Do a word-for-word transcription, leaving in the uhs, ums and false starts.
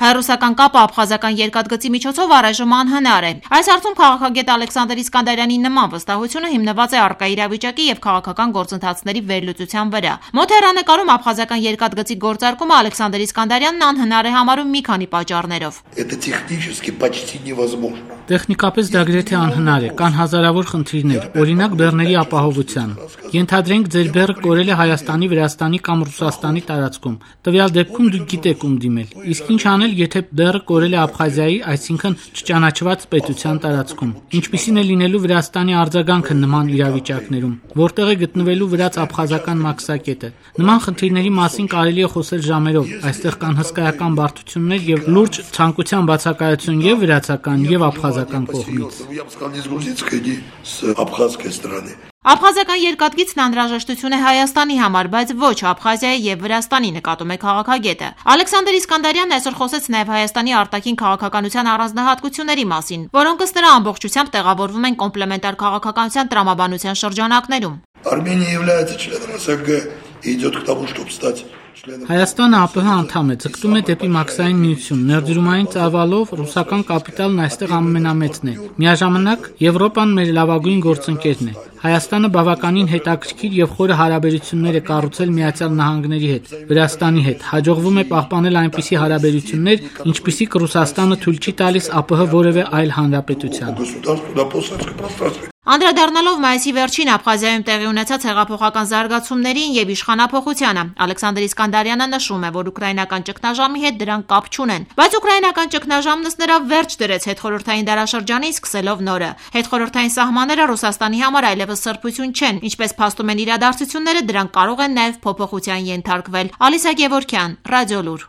Հայ-ռուսական կապը աբխազական երկաթգծի միջոցով առայժմ անհնար է։ Այս հարցում քաղաքագետ Ալեքսանդր Իսկանդարյանի նման վստահությունը հիմնված է առկա իրավիճակի եւ քաղաքական գործընթացների վերլուծության վրա։ Մոտ հեռանկարում աբխազական երկաթգծի գործարկումը Ալեքսանդր Իսկանդարյանն անհնար է համարում մի քանի պատճառներով։ Տեխնիկապես դա գրեթե անհնար է, կան հազարավոր խնդիրներ, օրինակ բեռների ապահովության։ Ենթադրենք ձեր բեռը կորել է Հայաստանի, Վրաստանի կամ Ռուսաստանի տարածքում։ Տվյալ դեպքում դուք գիտեք ում դիմել։ Իսկ ինչ անել, եթե բեռը կորել է Աբխազիայի, այսինքն չճանաչված պետության տարածքում։ Ինչպիսին է լինելու Վրաստանի արձագանքը նման իրավիճակներում, որտեղ է գտնվելու վրաց-աբխազական մաքսակետը։ Նման խնդիրների մասին կարելի է խոսել ժամերով։ Այստեղ կան հսկայական բարդություններ եւ լուրջ ցանկության բացակայություն եւ վրացական եւ աբխազական կողմից։ Աբխազական երկաթգիծն անհրաժեշտություն է Հայաստանի համար, բայց ոչ Աբխազիայի եւ Վրաստանի, նկատում է քաղաքագետը։ Ալեքսանդր Իսկանդարյանն այսօր խոսեց նաեւ Հայաստանի արտաքին քաղաքականության առանձնահատկությունների մասին, որոնք ըստ նրա ամբողջությամբ տեղավորվում են կոմպլեմենտար քաղաքականության տրամաբանության շրջանակներում։ Արմենիա является членом ОСГ и идет к тому, чтобы стать Հայաստանը ԱՊՀ անդամ է, ձգտում է դեպի մաքսային միություն, ներդրումային ծավալով ռուսական կապիտալն այստեղ ամենամեծն է։ Միաժամանակ Եվրոպան մեր լավագույն գործընկերն է։ Հայաստանը բավականին հետաքրքիր եւ խորը հարաբերություններ է կառուցել Միացյալ Նահանգների հետ, Վրաստանի հետ։ Հաջողվում է պահպանել այնպիսի հարաբերություններ, ինչպիսիք Ռուսաստանը թույլ չի տալիս ԱՊՀ որևէ այլ հանրապետության։ Անդրադառնալով մայիսի վերջին Աբխազիայում տեղի ունեցած հեղափոխական զարգացումներին եւ իշխանափոխությանը, Ալեքսանդր Իսկանդարյանը նշում է, որ ուկրաինական ճգնաժամի հետ դրանք կապ չունեն, բայց ուկրաինական ճգնաժամն ըստ նրա վերջ դրեց հետխորհրդային դարաշրջանին, սկսելով նորը։ Հետխորհրդային սահմանները Ռուսաստանի համար այլևս սրբություն չեն, ինչպես փաստում են իրադարձությունները, դրանք կարող են նաեւ փոփոխության ենթարկվել։ Ալիսա Գևորգյան, Ռադիոլուր։